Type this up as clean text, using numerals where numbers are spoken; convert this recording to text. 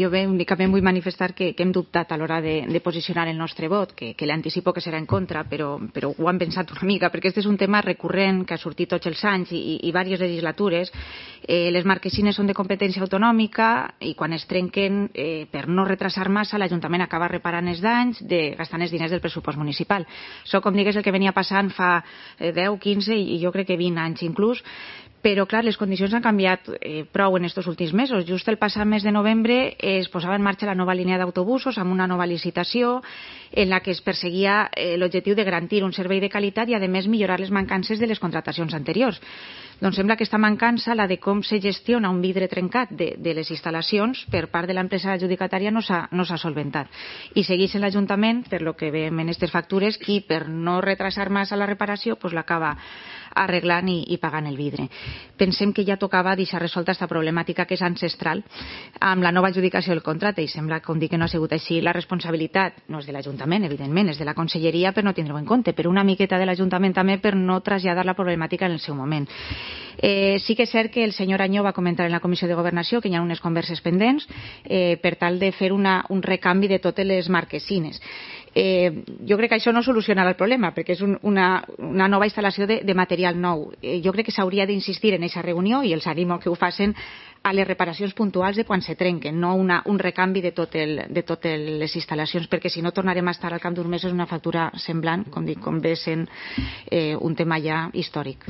Jo bé, únicament vull manifestar que hem dubtat a l'hora de posicionar el nostre vot, que l'anticipo que serà en contra, però ho han pensat una mica, perquè este és un tema recurrent que ha sortit tots els anys i diverses legislatures. Les marquesines són de competència autonòmica i quan es trenquen, per no retrasar massa, l'Ajuntament acaba reparant els danys gastant els diners del pressupost municipal. Això, com digues, el que venia passant fa 10, 15 i jo crec que 20 anys inclús. Però, clar, les condicions han canviat prou en aquests últims mesos. Just el passat mes de novembre es posava en marxa la nova línia d'autobusos amb una nova licitació en la que es perseguia l'objectiu de garantir un servei de qualitat i, a més, millorar les mancances de les contractacions anteriors. Doncs sembla que aquesta mancança, la de com se gestiona un vidre trencat de les instal·lacions per part de l'empresa adjudicatària, no s'ha solventat. I segueix en l'Ajuntament, per lo que veiem en aquestes factures, qui per no retrasar massa la reparació l'acaba arreglant i pagant el vidre. Pensem que ja tocava deixar resolta aquesta problemàtica que és ancestral amb la nova adjudicació del contracte i sembla, com dic, que no ha sigut així. La responsabilitat no és de l'Ajuntament, evidentment, és de la Conselleria per no tindre-ho en compte, però una miqueta de l'Ajuntament també per no traslladar la problemàtica en el seu moment. Sí que és cert que el senyor Añó va comentar en la Comissió de Governació que hi ha unes converses pendents per tal de fer un recanvi de totes les marquesines. Jo crec que això no solucionarà el problema perquè és una nova instal·lació de material nou. Jo crec que s'hauria d'insistir en aquesta reunió i els animo que ho facin a les reparacions puntuals de quan se trenquen, no un recanvi de totes les instal·lacions, perquè si no tornarem a estar al cap d'uns mesos una factura semblant, com dic, com ve sent un tema ja històric.